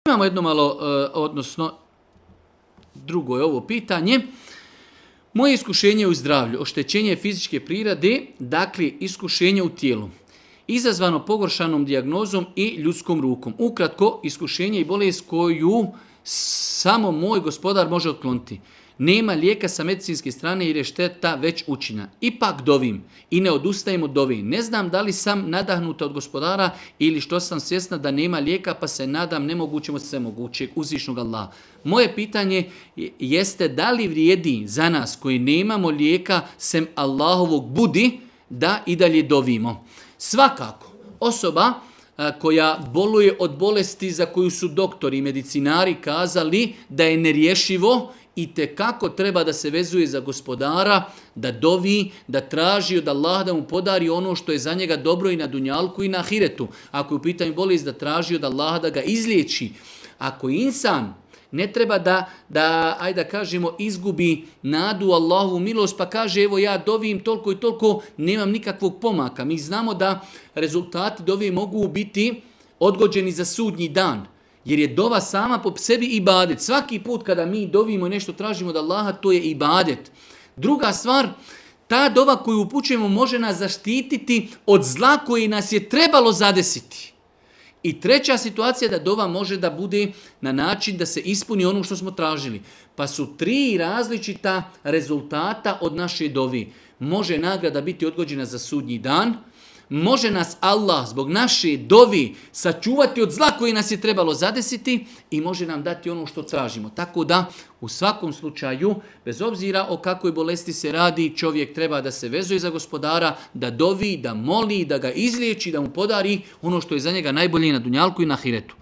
Imamo jedno malo, odnosno drugo je ovo pitanje. Moje iskušenje u zdravlju, oštećenje fizičke prirode, dakle iskušenje u tijelu, izazvano pogoršanom dijagnozom i ljudskom rukom. Ukratko, iskušenje i bolest koju samo moj gospodar može otkloniti. Nema lijeka sa medicinske strane jer je šteta već učinjena. Ipak dovim i ne odustajem od dove. Ne znam da li sam nadahnuta od gospodara ili što sam svjesna da nema lijeka pa se nadam nemogućem od svemogućeg uzvišnog Allaha. Moje pitanje jeste da li vrijedi za nas koji nemamo lijeka sem Allahovog budi da i dalje dovimo. Svakako, osoba koja boluje od bolesti za koju su doktori i medicinari kazali da je nerješivo, i tekako treba da se vezuje za gospodara, da dovi, da traži od Allaha da mu podari ono što je za njega dobro i na dunjalku i na ahiretu. Ako je u pitanju bolest, da traži od Allaha da ga izliječi. Ako insan ne treba da kažemo, izgubi nadu u Allahovu milost, pa kaže evo ja dovim toliko i toliko, nemam nikakvog pomaka. Mi znamo da rezultati dove mogu biti odgođeni za sudnji dan. Jer je dova sama po sebi ibadet. Svaki put kada mi dovimo i nešto tražimo od Allaha, to je ibadet. Druga stvar, ta dova koju upućujemo može nas zaštititi od zla koje nas je trebalo zadesiti. I treća situacija da dova može da bude na način da se ispuni ono što smo tražili. Pa su 3 različita rezultata od naše dovi. Može nagrada biti odgođena za sudnji dan, može nas Allah zbog naše dovi sačuvati od zla koji nas je trebalo zadesiti i može nam dati ono što tražimo. Tako da u svakom slučaju, bez obzira o kakvoj bolesti se radi, čovjek treba da se vezuje za gospodara, da dovi, da moli, da ga izliječi, da mu podari ono što je za njega najbolje na dunjalku i na ahiretu.